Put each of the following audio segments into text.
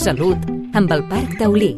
Salut, amb el Parc Taulí.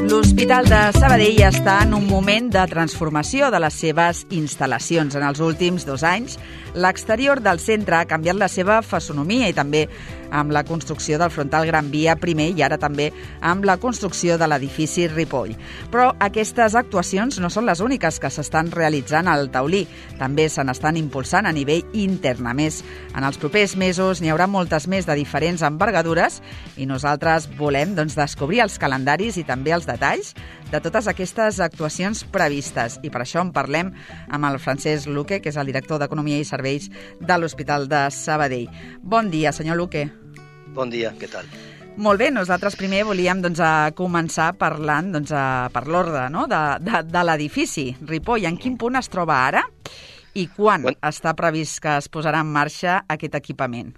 L'Hospital de Sabadell està en un moment de transformació de les seves instal·lacions. En els últims 2 anys, l'exterior del centre ha canviat la seva fisonomia i també amb la construcció del frontal Gran Via primer i ara també amb la construcció de l'edifici Ripoll. Però aquestes actuacions no són les úniques que s'estan realitzant al Taulí. També se n'estan impulsant a nivell intern. A més, en els propers mesos n'hi haurà moltes més de diferents envergadures i nosaltres volem descobrir els calendaris i també els detalls de totes aquestes actuacions previstes. I per això en parlem amb el Francesc Luque, que és el director d'Economia i Serveis de l'Hospital de Sabadell. Bon dia, senyor Luque. Bon dia, què tal? Molt bé, nosaltres primer volíem començar parlant per l'ordre de l'edifici Ripoll. En quin punt es troba ara i quan està previst que es posarà en marxa aquest equipament?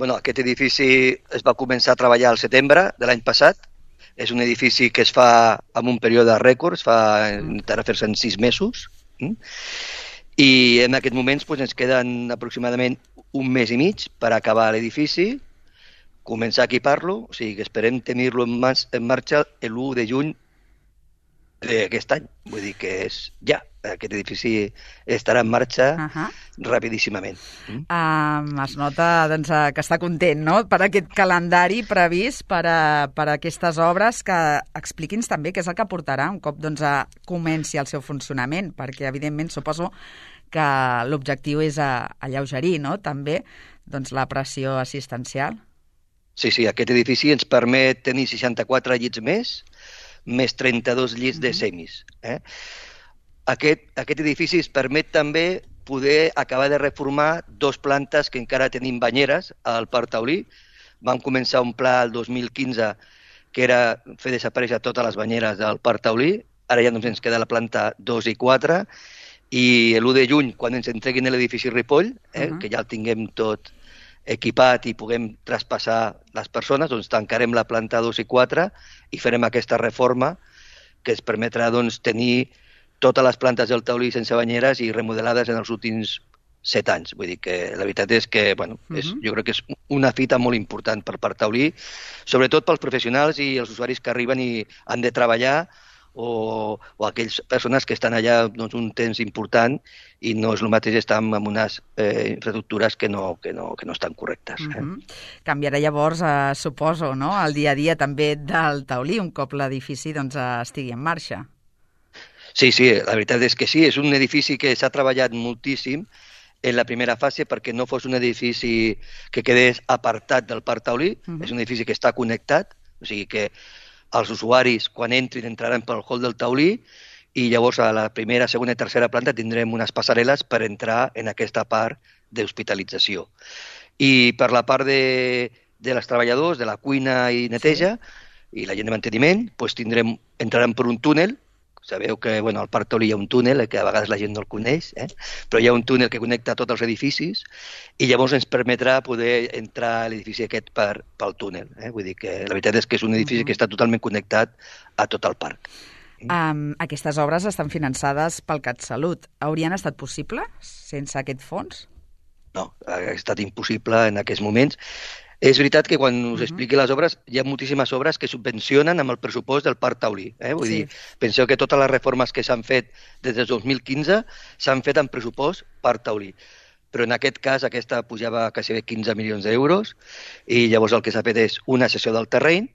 Aquest edifici es va començar a treballar al setembre de l'any passat. És un edifici que es fa en un període rècord, intentarà fer-se en 6 mesos. I en aquests moments ens queden aproximadament 1 mes i mig per acabar l'edifici, començar a equipar-lo, o sigui que esperem tenir-lo en marxa l'1 de juny d'aquest any. Vull dir que és ja, aquest edifici estarà en marxa rapidíssimament. Es nota que està content, no?, per aquest calendari previst per a aquestes obres, que expliqui'ns també què és el que portarà un cop comenci el seu funcionament, perquè evidentment suposo que l'objectiu és alleugerir, no?, també la pressió assistencial. Sí, aquest edifici ens permet tenir 64 llits més 32 llits de semis. Aquest edifici ens permet també poder acabar de reformar 2 plantes que encara tenim banyeres al Parc Taulí. Vam començar un pla el 2015 que era fer desaparèixer totes les banyeres del Parc Taulí. Ara ja només ens queda la planta 2 i 4 i l'1 de juny, quan ens entreguin l'edifici Ripoll, que ja el tinguem tot equipat i puguem traspassar les persones, tancarem la planta 2 i 4 i farem aquesta reforma que ens permetrà tenir totes les plantes del Taulí sense banyeres i remodelades en els últims 7 anys. Vull dir que la veritat és que jo crec que és una fita molt important per Parc Taulí, sobretot pels professionals i els usuaris que arriben i han de treballar o aquelles persones que estan allà un temps important i no és el mateix estar en unes infraestructures que no estan correctes. Canviarà llavors, suposo, el dia a dia també del Taulí, un cop l'edifici estigui en marxa. Sí, la veritat és que sí, és un edifici que s'ha treballat moltíssim en la primera fase perquè no fos un edifici que quedés apartat del Parc Taulí, és un edifici que està connectat, o sigui que els usuaris, quan entrin, entraran pel hall del Taulí i llavors a la primera, segona i tercera planta tindrem unes passarel·les per entrar en aquesta part d'hospitalització. I per la part dels treballadors, de la cuina i neteja i la gent de manteniment, entraran per un túnel. Sabeu que al Parc Taulí hi ha un túnel, que a vegades la gent no el coneix, però hi ha un túnel que connecta tots els edificis i llavors ens permetrà poder entrar a l'edifici aquest pel túnel. Vull dir que la veritat és que és un edifici que està totalment connectat a tot el parc. Aquestes obres estan finançades pel CatSalut. Haurien estat possibles sense aquest fons? No, ha estat impossible en aquests moments. És veritat que quan us expliqui les obres, hi ha moltíssimes obres que subvencionen amb el pressupost del Parc Taulí. Vull dir, penseu que totes les reformes que s'han fet des del 2015 s'han fet amb pressupost Parc Taulí. Però en aquest cas aquesta pujava quasi 15 milions d'euros i llavors el que s'ha fet és una cessió del terreny,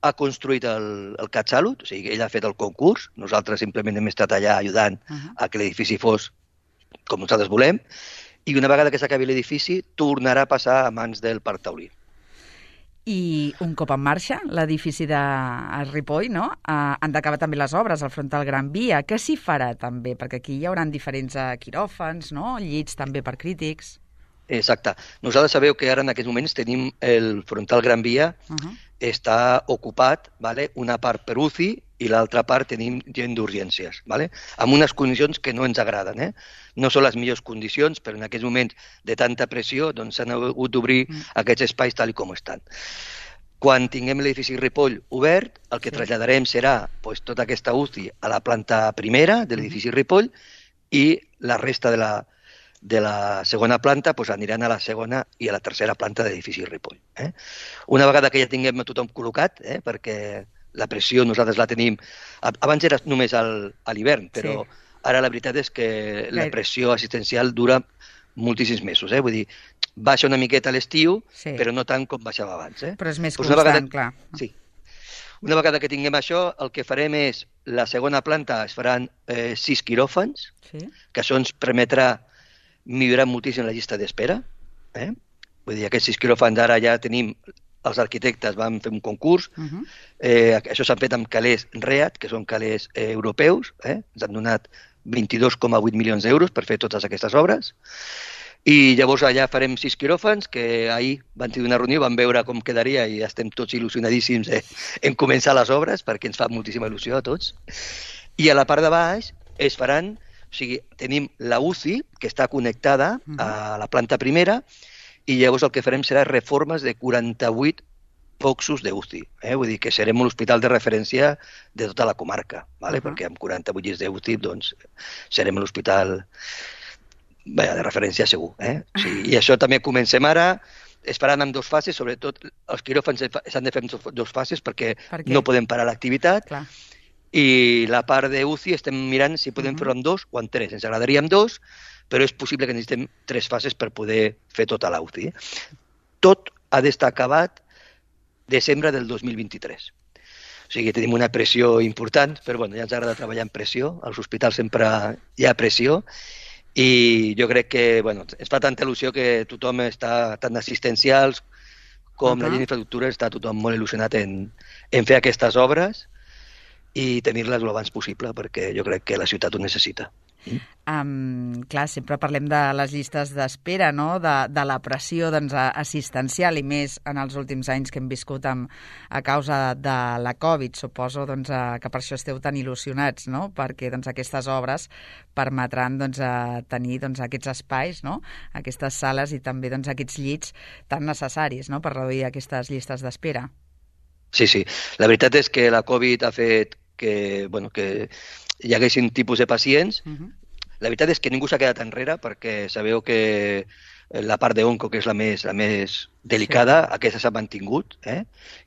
ha construït el CatSalut, o sigui, ell ha fet el concurs, nosaltres simplement hem estat allà ajudant a que l'edifici fos com nosaltres volem, i una vegada que s'acabi l'edifici tornarà a passar a mans del Parc Taulí. I un cop en marxa, l'edifici de Ripoll, han d'acabar també les obres al frontal Gran Via. Què s'hi farà també? Perquè aquí hi haurà diferents quiròfans, llits també per crítics. Exacte. Nosaltres sabeu que ara en aquests moments tenim el frontal Gran Via, està ocupat, una part per UCI i l'altra part tenim gent d'urgències, amb unes condicions que no ens agraden. No són les millors condicions, però en aquests moments de tanta pressió s'han hagut d'obrir aquests espais tal com estan. Quan tinguem l'edifici Ripoll obert, el que traslladarem serà pues, tota aquesta UCI a la planta primera de l'edifici Ripoll i la resta de la segona planta pues, aniran a la segona i a la tercera planta de l'edifici Ripoll. Una vegada que ja tinguem tothom col·locat, perquè la pressió nosaltres la tenim... Abans era només a l'hivern, però ara la veritat és que la pressió assistencial dura moltíssims mesos. Vull dir, baixa una miqueta a l'estiu, però no tant com baixava abans. Però és més constant, clar. Sí. Una vegada que tinguem això, el que farem és, la segona planta es faran 6 quiròfans, que això ens permetrà millorar moltíssim la llista d'espera. Vull dir, aquests 6 quiròfans ara ja tenim, els arquitectes van fer un concurs, això s'han fet amb calés REAT, que són calés europeus, ens han donat 22,8 milions d'euros per fer totes aquestes obres, i llavors allà farem 6 quiròfans, que ahir van tenir una reunió, van veure com quedaria i estem tots il·lusionadíssims en començar les obres, perquè ens fa moltíssima il·lusió a tots. I a la part de baix es faran, o sigui, tenim la UCI, que està connectada a la planta primera, i llavors el que farem serà reformes de 48 boxos d'UCI. Vull dir que serem un hospital de referència de tota la comarca, perquè amb 48 llits d'UCI doncs, serem l'hospital de referència segur. I això també comencem ara, es faran en 2 fases, sobretot els quiròfans s'han de fer en 2 fases perquè no podem parar l'activitat, i la part d'UCI estem mirant si podem fer-ho en 2 o en 3. Ens agradaria en 2, però és possible que necessitem 3 fases per poder fer tota la UCI. Tot ha d'estar acabat desembre del 2023. O sigui, tenim una pressió important, però ja ens agrada treballar en pressió. Als hospitals sempre hi ha pressió i jo crec que ens fa tanta il·lusió que tothom està, tant assistencials com la llei d'infraestructura, està tothom molt il·lusionat en fer aquestes obres i tenir-les el abans possible, perquè jo crec que la ciutat ho necessita. Clar, sempre parlem de les llistes d'espera, no? De la pressió assistencial, i més en els últims anys que hem viscut a causa de la Covid. Suposo que per això esteu tan il·lusionats, no? Perquè aquestes obres permetran tenir aquests espais, no? Aquestes sales i també aquests llits tan necessaris, no? Per reduir aquestes llistes d'espera. Sí. La veritat és que la Covid ha fet que hi haguessin tipus de pacients. La veritat és que ningú s'ha quedat enrere, perquè sabeu que la part d'onco, que és la més delicada, aquesta s'ha mantingut, i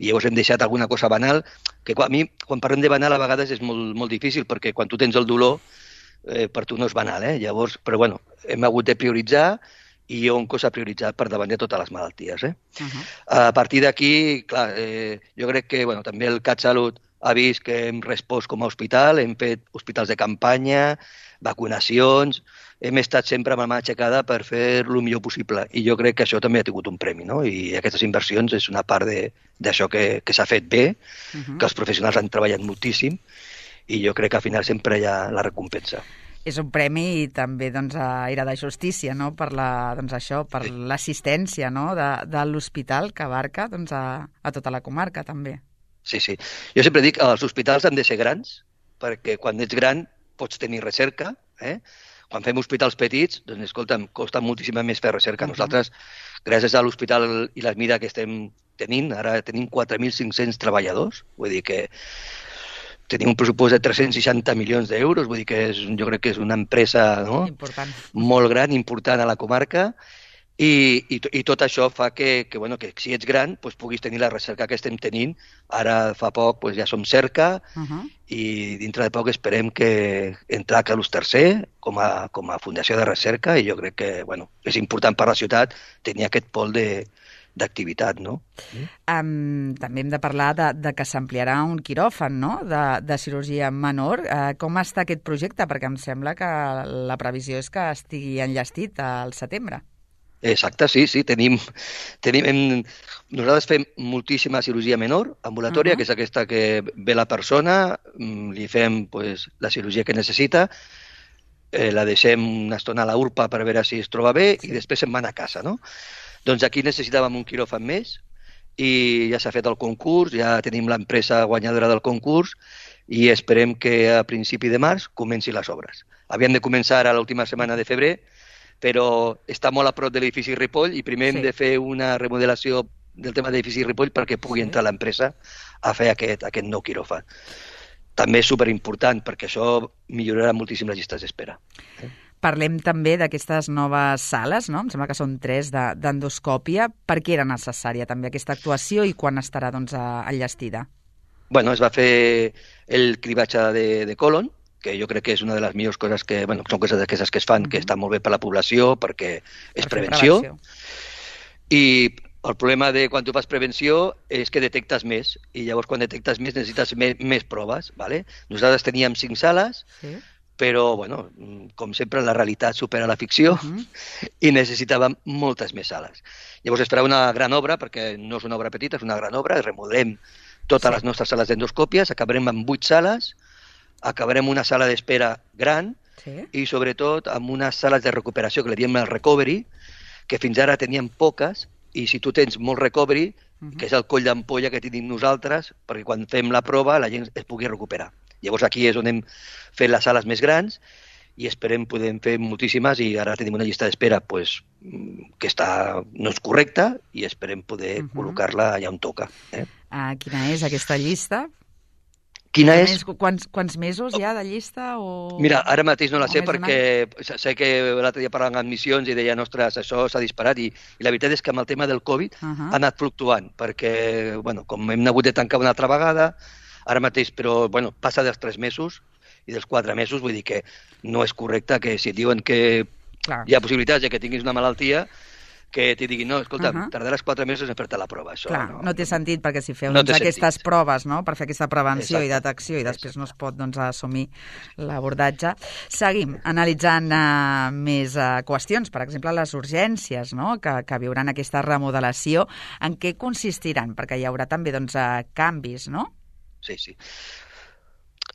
llavors hem deixat alguna cosa banal, que a mi, quan parlem de banal, a vegades és molt difícil, perquè quan tu tens el dolor, per tu no és banal, llavors, però hem hagut de prioritzar, i onco s'ha prioritzat per davant de totes les malalties. A partir d'aquí, clar, jo crec que també el CatSalut ha vist que hem respost com a hospital, hem fet hospitals de campanya, vacunacions, hem estat sempre amb la mà aixecada per fer el millor possible, i jo crec que això també ha tingut un premi, no? I aquestes inversions és una part d'això que s'ha fet bé, que els professionals han treballat moltíssim, i jo crec que al final sempre hi ha la recompensa. És un premi i també era de justícia, no? Per l'assistència, no? De l'hospital que abarca a tota la comarca també. Sí. Jo sempre dic que els hospitals han de ser grans, perquè quan ets gran pots tenir recerca. Quan fem hospitals petits, doncs, escolta'm, costa moltíssima més fer recerca. Nosaltres, gràcies a l'hospital i la mida que estem tenint, ara tenim 4.500 treballadors, vull dir que tenim un pressupost de 360 milions d'euros, vull dir que jo crec que és una empresa molt gran, important a la comarca, i tot això fa que si ets gran puguis tenir la recerca que estem tenint. Ara fa poc ja som cerca, i dintre de poc esperem que entrar a Carlos III com a fundació de recerca, i jo crec que és important per la ciutat tenir aquest pol d'activitat, no? També hem de parlar de que s'ampliarà un quiròfan, no?, de cirurgia menor. Com està aquest projecte? Perquè em sembla que la previsió és que estigui enllestit al setembre. Exacte, sí. Nosaltres fem moltíssima cirurgia menor, ambulatòria, que és aquesta que ve la persona, li fem la cirurgia que necessita, la deixem una estona a la urpa per veure si es troba bé, i després se'n van a casa, no? Doncs aquí necessitàvem un quiròfan més, i ja s'ha fet el concurs, ja tenim l'empresa guanyadora del concurs, i esperem que a principi de març comenci les obres. Havien de començar a l'última setmana de febrer, però està molt a prop de l'edifici Ripoll, i primer hem de fer una remodelació del tema d'edifici Ripoll perquè pugui entrar l'empresa a fer aquest nou quiròfan. També és superimportant perquè això millorarà moltíssim les llistes d'espera. Parlem també d'aquestes noves sales, no? Em sembla que són 3 d'endoscòpia. Per què era necessària també aquesta actuació i quan estarà enllestida? Bueno, es va fer el cribatge de colon, que jo crec que és una de les millors coses que, bueno, són coses d'aquestes que es fan, que estan molt bé per la població, perquè és prevenció. I el problema de quan tu fas prevenció és que detectes més, i llavors quan detectes més necessites més proves, ¿vale? Nosaltres teníem 5 sales, però, bueno, com sempre, la realitat supera la ficció i necessitàvem moltes més sales. Llavors es farà una gran obra, perquè no és una obra petita, és una gran obra, remodelem totes les nostres sales d'endoscòpies, acabarem amb 8 sales, acabarem una sala d'espera gran i, sobretot, amb unes sales de recuperació, que li diem el recovery, que fins ara teníem poques, i si tu tens molt recovery, que és el coll d'ampolla que tenim nosaltres, perquè quan fem la prova la gent es pugui recuperar. Llavors aquí és on hem fet les sales més grans i esperem poder fer moltíssimes, i ara tenim una llista d'espera pues, que no és correcta, i esperem poder col·locar-la allà on toca. Quina és aquesta llista? Quina és? Quants mesos hi ha de llista? Mira, ara mateix no la sé perquè sé que l'altre dia parlant amb admissions i deien, ostres, això s'ha disparat, i la veritat és que amb el tema del Covid ha anat fluctuant, perquè, bueno, com hem hagut de tancar una altra vegada, ara mateix, però, bueno, passa dels 3 mesos i dels 4 mesos, vull dir que no és correcte que si et diuen que hi ha possibilitats de que tinguis una malaltia, que t'hi diguin, no, escolta, tardaràs 4 mesos en fer-te la prova. Això no té sentit, perquè si feu aquestes proves per fer aquesta prevenció i detecció i després no es pot assumir l'abordatge. Seguim analitzant més qüestions, per exemple, les urgències que viuran aquesta remodelació. En què consistiran? Perquè hi haurà també canvis, no? Sí.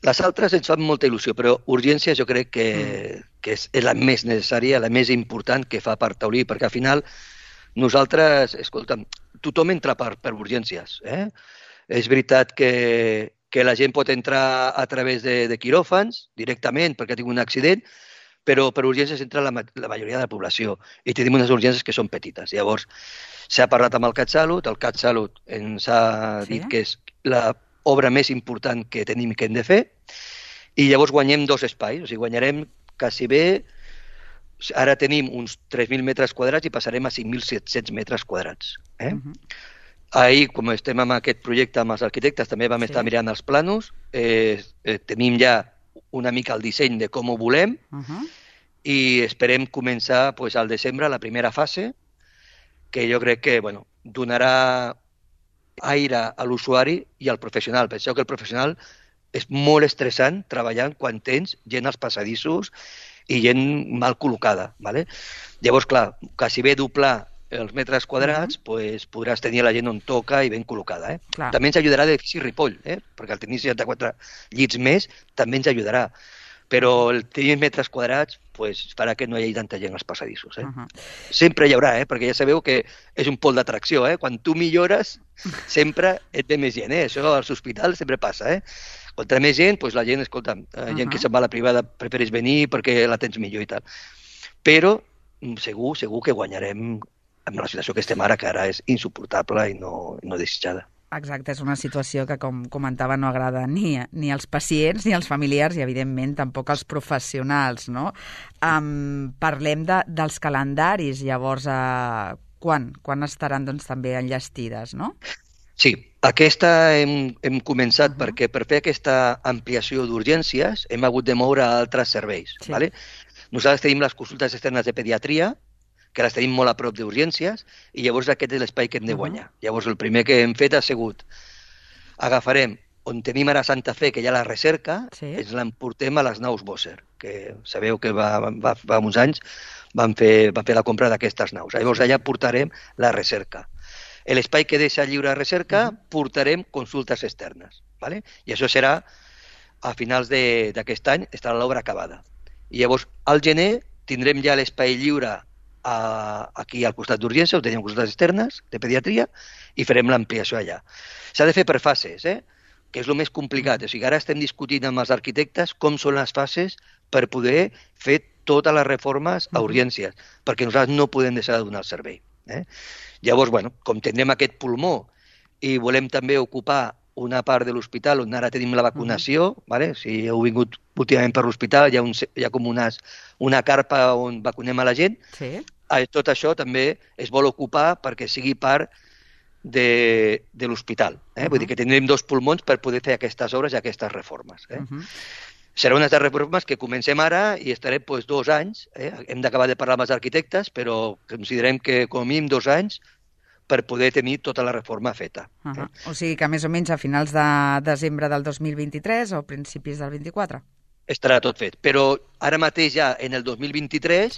Les altres ens fan molta il·lusió, però urgències jo crec que és la més necessària, la més important que fa Parc Taulí, perquè al final nosaltres, escolta'm, tothom entra per urgències. És veritat que la gent pot entrar a través de quiròfans directament perquè ha tingut un accident, però per urgències entra la majoria de la població i tenim unes urgències que són petites. Llavors, s'ha parlat amb el CatSalut, el CatSalut ens ha dit que és la obra més important que tenim i que hem de fer, i llavors guanyem 2 espais, o sigui, guanyarem quasi bé, ara tenim uns 3.000 metres quadrats i passarem a 5.700 metres quadrats. Ahir, com estem amb aquest projecte amb els arquitectes, també vam estar mirant els planos, tenim ja una mica el disseny de com ho volem, i esperem començar al desembre la primera fase, que jo crec que donarà aire a l'usuari i al professional. Penseu que el professional és molt estressant treballant quan tens gent als passadissos i gent mal col·locada. Llavors, clar, quasi bé doblar els metres quadrats, podràs tenir la gent on toca i ben col·locada. També ens ajudarà l'edifici Ripoll, perquè al tenir 64 llits més també ens ajudarà. Però el tenir metres quadrats farà que no hi hagi tanta gent als passadissos. Sempre hi haurà, perquè ja sabeu que és un pol d'atracció. Quan tu millores, sempre et ve més gent. Això als hospitals sempre passa. Contra més gent, la gent, escolta, gent que se'n va a la privada prefereix venir perquè la tens millor i tal. Però segur que guanyarem amb la situació que estem ara, que ara és insuportable i no desitjada. Exacte, és una situació que, com comentava, no agrada ni als pacients ni als familiars i, evidentment, tampoc als professionals, no? Parlem dels calendaris, llavors, quan estaran també enllestides, no? Sí, aquesta hem començat perquè per fer aquesta ampliació d'urgències hem hagut de moure altres serveis. Nosaltres tenim les consultes externes de pediatria, que les tenim molt a prop d'urgències, i llavors aquest és l'espai que hem de guanyar. Llavors el primer que hem fet ha sigut agafarem on tenim ara Santa Fe, que hi ha la recerca, ens l'emportem a les naus Bosser, que sabeu que fa uns anys van fer la compra d'aquestes naus. Llavors allà portarem la recerca. L'espai que deixa lliure recerca portarem consultes externes. I això serà a finals d'aquest any, estarà l'obra acabada. I llavors al gener tindrem ja l'espai lliure aquí al costat d'urgència, on tenim consultes externes de pediatria, i farem l'ampliació allà. S'ha de fer per fases, que és el més complicat. O sigui, ara estem discutint amb els arquitectes com són les fases per poder fer totes les reformes a urgències, perquè nosaltres no podem deixar de donar el servei. Llavors, com tindrem aquest pulmó i volem també ocupar una part de l'hospital on ara tenim la vacunació, si heu vingut últimament per l'hospital, hi ha com una carpa on vacunem a la gent. Tot això també es vol ocupar perquè sigui part de l'hospital. Vull dir que tindrem 2 pulmons per poder fer aquestes obres i aquestes reformes. Serà unes reformes que comencem ara i estarem 2 anys. Hem d'acabar de parlar amb els arquitectes, però considerem que com a mínim 2 anys per poder tenir tota la reforma feta. O sigui que més o menys a finals de desembre del 2023 o principis del 24? Estarà tot fet, però ara mateix ja en el 2023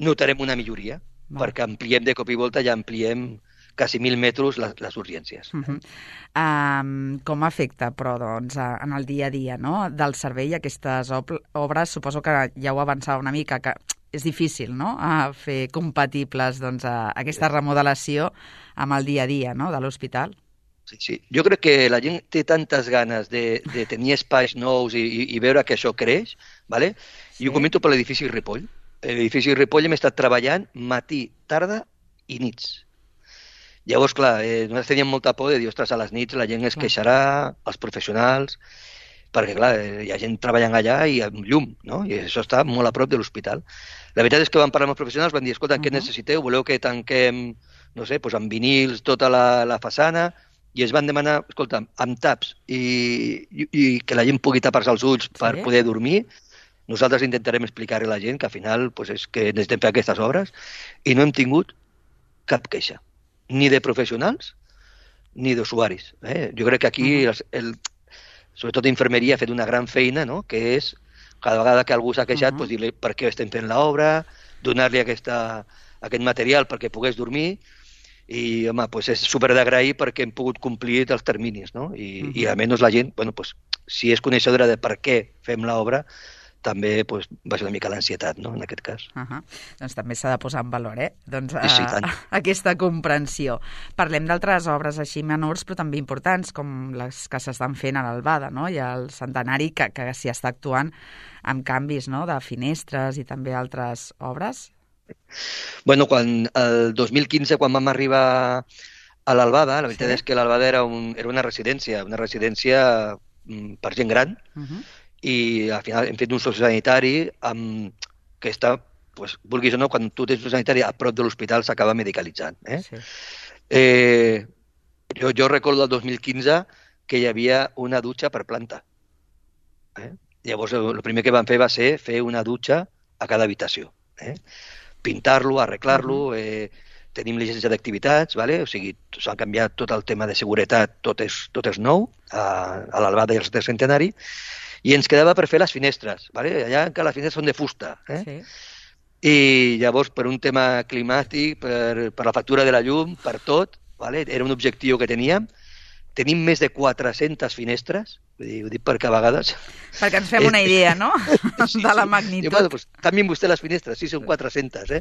notarem una milloria, perquè ampliem de cop i volta, ja ampliem quasi 1.000 metres les urgències. Com afecta, però, en el dia a dia del servei aquestes obres? Suposo que ja ho avançava una mica, que és difícil fer compatibles aquesta remodelació amb el dia a dia de l'hospital. Sí. Jo crec que la gent té tantes ganes de tenir espais nous i veure que això creix, i ho comento per l'edifici Ripoll. L'edifici Ripoll hem estat treballant matí, tarda i nits. Llavors, clar, nosaltres teníem molta por de dir, ostres, a les nits la gent es queixarà, els professionals, perquè, clar, hi ha gent treballant allà i amb llum, i això està molt a prop de l'hospital. La veritat és que vam parlar amb els professionals, van dir, escolta, què necessiteu? Voleu que tanquem, no sé, amb vinils tota la façana? I es van demanar, escolta, amb taps i que la gent pugui tapar-se els ulls per poder dormir. Nosaltres intentarem explicar a la gent que al final és que necessitem fer aquestes obres i no hem tingut cap queixa, ni de professionals ni d'usuaris. Jo crec que aquí, sobretot infermeria, ha fet una gran feina, que és, cada vegada que algú s'ha queixat, dir-li per què estem fent l'obra, donar-li aquest material perquè pogués dormir, i, home, és super d'agrair perquè hem pogut complir els terminis, i almenys la gent, si és coneixedora de per què fem l'obra, també va ser una mica l'ansietat, en aquest cas. Doncs també s'ha de posar en valor, aquesta comprensió. Parlem d'altres obres així menors, però també importants, com les que s'estan fent a l'Albada, i al Centenari, que s'hi està actuant amb canvis de finestres i també altres obres. Quan el 2015, quan vam arribar a l'Albada, la veritat és que l'Albada era una residència per gent gran, i al final hem fet un sociosanitari que està, vulguis o no, quan tu tens un sanitari a prop de l'hospital s'acaba medicalitzant. Jo recordo el 2015 que hi havia una dutxa per planta. Llavors el primer que vam fer va ser fer una dutxa a cada habitació. Pintar-lo, arreglar-lo, tenim llicència d'activitats, o sigui, s'ha canviat tot el tema de seguretat, tot és nou, a l'Albada i al Centenari, i ens quedava per fer les finestres. Allà encara les finestres són de fusta. I llavors, per un tema climàtic, per la factura de la llum, per tot, era un objectiu que teníem. Tenim més de 400 finestres, ho dic perquè a vegades... Perquè ens fem una idea, no?, de la magnitud. Canvien vostè les finestres, sí, són 400,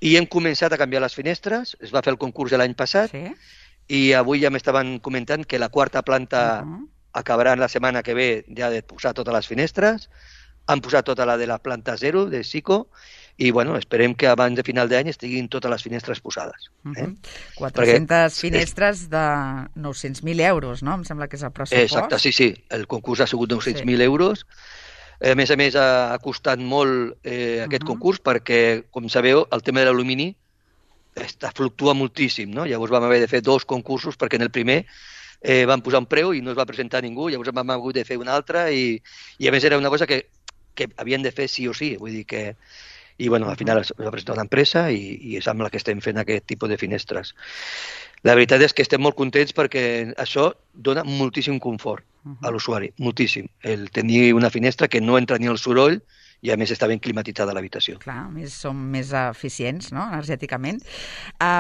I hem començat a canviar les finestres, es va fer el concurs l'any passat, i avui ja m'estaven comentant que la 4ª planta acabaran la setmana que ve ja de posar totes les finestres, han posat tota la de la planta 0 de Sico, i esperem que abans de final d'any estiguin totes les finestres posades. 400 finestres de 900.000 euros, no? Em sembla que és el pressupost. Exacte, sí. El concurs ha sigut 900.000 euros. A més, ha costat molt aquest concurs perquè, com sabeu, el tema de l'alumini fluctua moltíssim, no? Llavors vam haver de fer 2 concursos perquè en el primer van posar un preu i no es va presentar ningú, llavors vam haver de fer un altre i a més era una cosa que havien de fer sí o sí, vull dir que... I al final es va presentar una empresa i és amb la que estem fent aquest tipus de finestres. La veritat és que estem molt contents perquè això dona moltíssim confort a l'usuari, moltíssim. El tenir una finestra que no entra ni el soroll i a més està ben climatitzada l'habitació. Clar, som més eficients, no?, energèticament.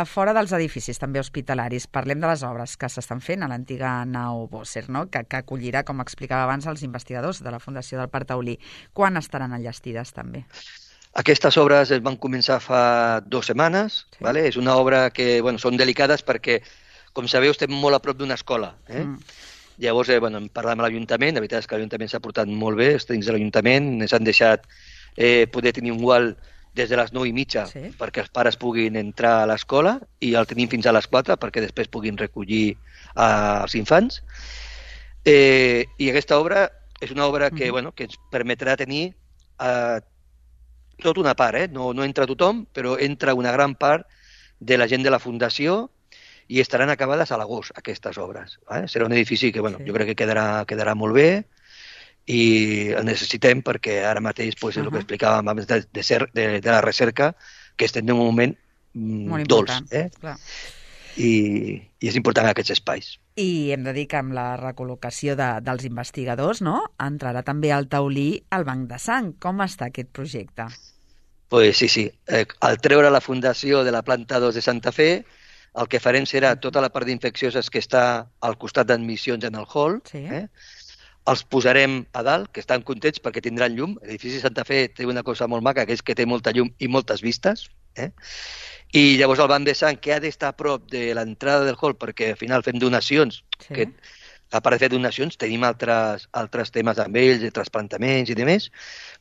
Fora dels edificis, també hospitalaris, parlem de les obres que s'estan fent a l'antiga nau Bosser, no?, que acollirà, com explicava abans, els investigadors de la Fundació del Parc Taulí. Quan estaran enllestides, també? Aquestes obres es van començar fa 2 setmanes. És una obra que són delicades perquè, com sabeu, estem molt a prop d'una escola. Llavors, hem parlat amb l'Ajuntament, la veritat és que l'Ajuntament s'ha portat molt bé, els tècnics de l'Ajuntament ens han deixat poder tenir un gual des de les 9:30 perquè els pares puguin entrar a l'escola i el tenim fins a les 4 perquè després puguin recollir els infants. I aquesta obra és una obra que, que ens permetrà tenir tota una part, no entra tothom, però entra una gran part de la gent de la Fundació i estaran acabades a l'agost, aquestes obres. Serà un edifici que jo crec que quedarà molt bé i el necessitem perquè ara mateix és el que explicàvem abans de la recerca, que estem en un moment dolç. I és important aquests espais. I hem de dir que amb la recol·locació dels investigadors, entrarà també al taulí el banc de sang. Com està aquest projecte? Pues sí. Al treure la fundació de la planta 2 de Santa Fe, el que farem serà tota la part d'infeccioses que està al costat d'admissions en el hall, els posarem a dalt, que estan contents perquè tindran llum. L'edifici de Santa Fe té una cosa molt maca, que és que té molta llum i moltes vistes. I llavors el banc de sang, que ha d'estar a prop de l'entrada del hall, perquè al final fem donacions, que a part de fer donacions tenim altres temes amb ells, de trasplantaments i demés,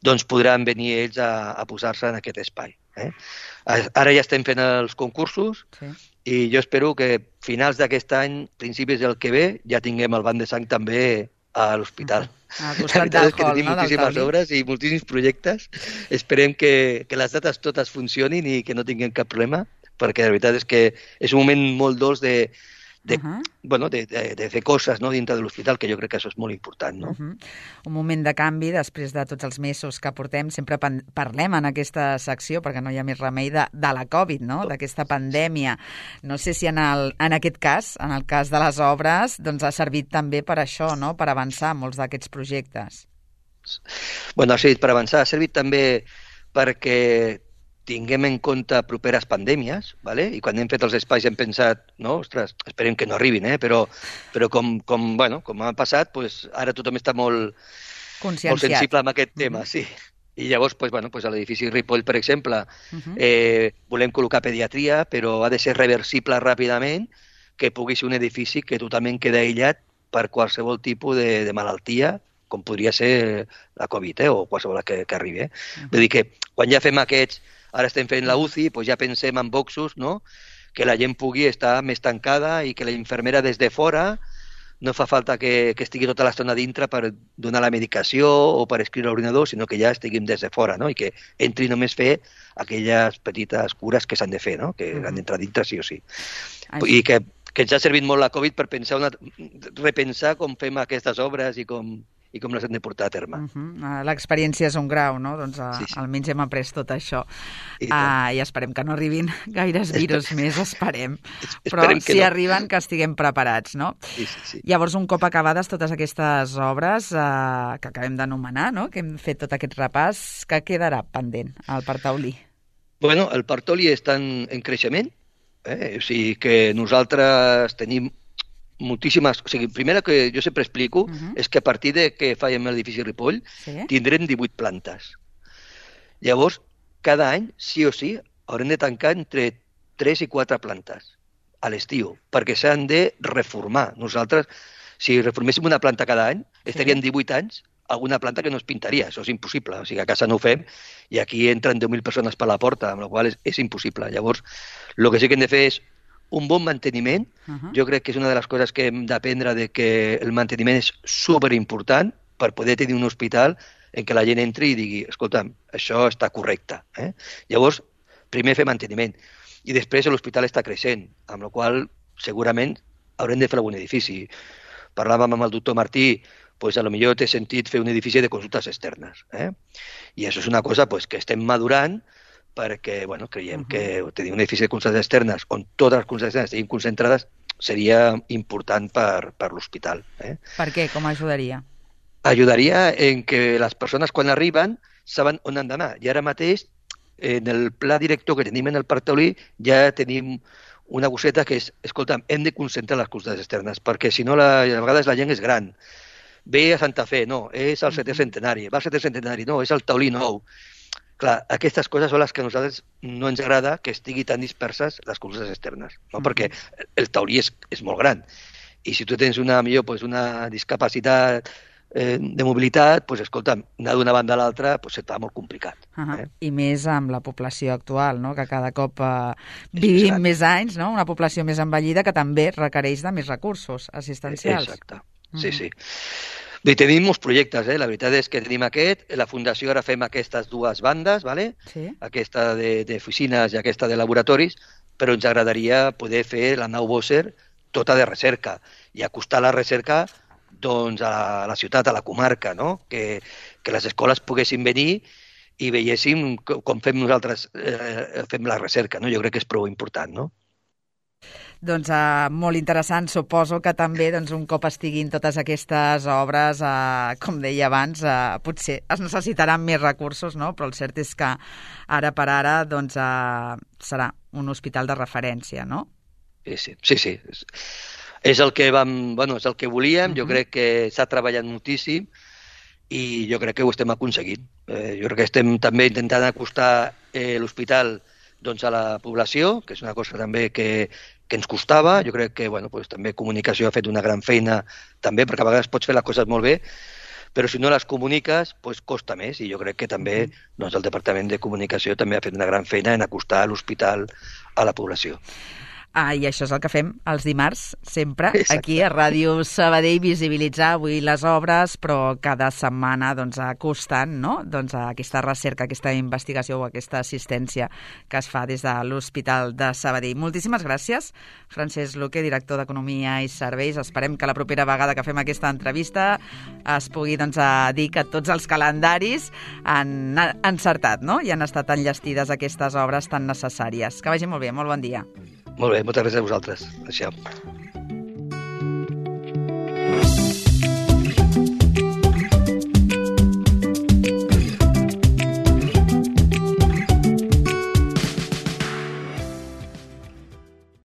doncs podran venir ells a posar-se en aquest espai. Ara ja estem fent els concursos i jo espero que finals d'aquest any, principis del que ve, ja tinguem el banc de sang també a l'hospital. Al costat del hall, tenim moltíssimes obres i moltíssims projectes. Esperem que les dates totes funcionin i que no tinguem cap problema, perquè la veritat és que és un moment molt dolç de fer coses dintre de l'hospital, que jo crec que això és molt important. Un moment de canvi després de tots els mesos que portem. Sempre parlem en aquesta secció, perquè no hi ha més remei, de la Covid, d'aquesta pandèmia. No sé si en aquest cas, en el cas de les obres, doncs ha servit també per això, per avançar molts d'aquests projectes. Ha servit per avançar, ha servit també perquè tinguem en compte properes pandèmies, i quan hem fet els espais hem pensat, ostres, esperem que no arribin, però com ha passat, ara tothom està molt sensible amb aquest tema, sí. I llavors, a l'edifici Ripoll, per exemple, volem col·locar pediatria, però ha de ser reversible ràpidament, que pugui ser un edifici que totalment queda aïllat per qualsevol tipus de malaltia, com podria ser la Covid o qualsevol que arribi. Vull dir que quan ja fem aquests, ara estem fent la UCI, ja pensem en boxos, que la gent pugui estar més tancada i que la infermera des de fora no fa falta que estigui tota l'estona dintre per donar la medicació o per escriure a l'ordinador, sinó que ja estiguin des de fora, i que entri només fer aquelles petites cures que s'han de fer, que han d'entrar dintre sí o sí. I que ens ha servit molt la Covid per repensar com fem aquestes obres i com les hem de portar a terme. L'experiència és un grau, doncs almenys hem après tot això. I esperem que no arribin gaires virus més, esperem. Però si arriben, que estiguem preparats, Sí. Llavors, un cop acabades totes aquestes obres que acabem d'anomenar, que hem fet tot aquest repàs, què quedarà pendent al Parc Taulí? El Parc Taulí està en creixement, o sigui que nosaltres tenim moltíssimes... O sigui, primera que jo sempre explico és que a partir de que fèiem l'edifici Ripoll tindrem 18 plantes. Llavors, cada any, sí o sí, haurem de tancar entre 3 i 4 plantes a l'estiu, perquè s'han de reformar. Nosaltres, si reforméssim una planta cada any, estaríem 18 anys alguna planta que no es pintaria. Això és impossible. O sigui, a casa no ho fem i aquí entren 10.000 persones per la porta, amb la qual és impossible. Llavors, el que sí que hem de fer és un bon manteniment. Jo crec que és una de les coses que hem d'aprendre, de que el manteniment és superimportant per poder tenir un hospital en què la gent entri i digui, escolta'm, això està correcte. Llavors, primer fer manteniment. I després l'hospital està creixent, amb la qual segurament haurem de fer algun edifici. Parlàvem amb el doctor Martí, potser té sentit fer un edifici de consultes externes. I això és una cosa que estem madurant, perquè creiem que tenir un edifici de consultes externes on totes les consultes externes estiguin concentrades seria important per l'hospital. Per què? Com ajudaria? Ajudaria en que les persones quan arriben saben on han d'anar. I ara mateix, en el pla director que tenim en el Parc Taulí, ja tenim una coseta que és, escolta'm, hem de concentrar les consultes externes, perquè si no, a vegades la gent és gran. Ve a Santa Fe, no, és el 7è centenari. Va al 7è centenari, no, és el Taulí nou. Clar, aquestes coses són les que a nosaltres no ens agrada que estigui tan disperses les consultes externes, perquè el Taulí és molt gran. I si tu tens una discapacitat de mobilitat, doncs, escolta, anar d'una banda a l'altra se't fa molt complicat. I més amb la població actual, no? Que cada cop vivim més anys, no? Una població més envellida que també requereix de més recursos assistencials. Exacte, sí. Bé, tenim molts projectes, la veritat és que tenim aquest, la Fundació ara fem aquestes dues bandes, ¿vale? Sí. Aquesta d'oficines i aquesta de laboratoris, però ens agradaria poder fer la nau Bosser tota de recerca i acostar la recerca doncs, a la ciutat, a la comarca, no? Que les escoles poguessin venir i veiéssim com fem nosaltres fem la recerca, no? Jo crec que és prou important, no? Doncs molt interessant, suposo que també un cop estiguin totes aquestes obres, com deia abans, potser es necessitaran més recursos, no? Però el cert és que ara per ara serà un hospital de referència, no? Sí. És el que és el que volíem, jo crec que s'ha treballat moltíssim i jo crec que ho estem aconseguint. Jo crec que estem també intentant acostar l'hospital a la població, que és una cosa també que ens costava. Jo crec que també comunicació ha fet una gran feina també, perquè a vegades pots fer les coses molt bé, però si no les comuniques, costa més. I jo crec que també el Departament de Comunicació també ha fet una gran feina en acostar l'hospital a la població. I això és el que fem els dimarts, sempre, Exacte. aquí a Ràdio Sabadell, visibilitzar avui les obres, però cada setmana acostant, no? Aquesta recerca, aquesta investigació o aquesta assistència que es fa des de l'Hospital de Sabadell. Moltíssimes gràcies, Francesc Luque, director d'Economia i Serveis. Esperem que la propera vegada que fem aquesta entrevista es pugui dir que tots els calendaris han encertat, no? I han estat enllestides aquestes obres tan necessàries. Que vagi molt bé, molt bon dia. Molt bé, moltes gràcies a vosaltres. Adéu.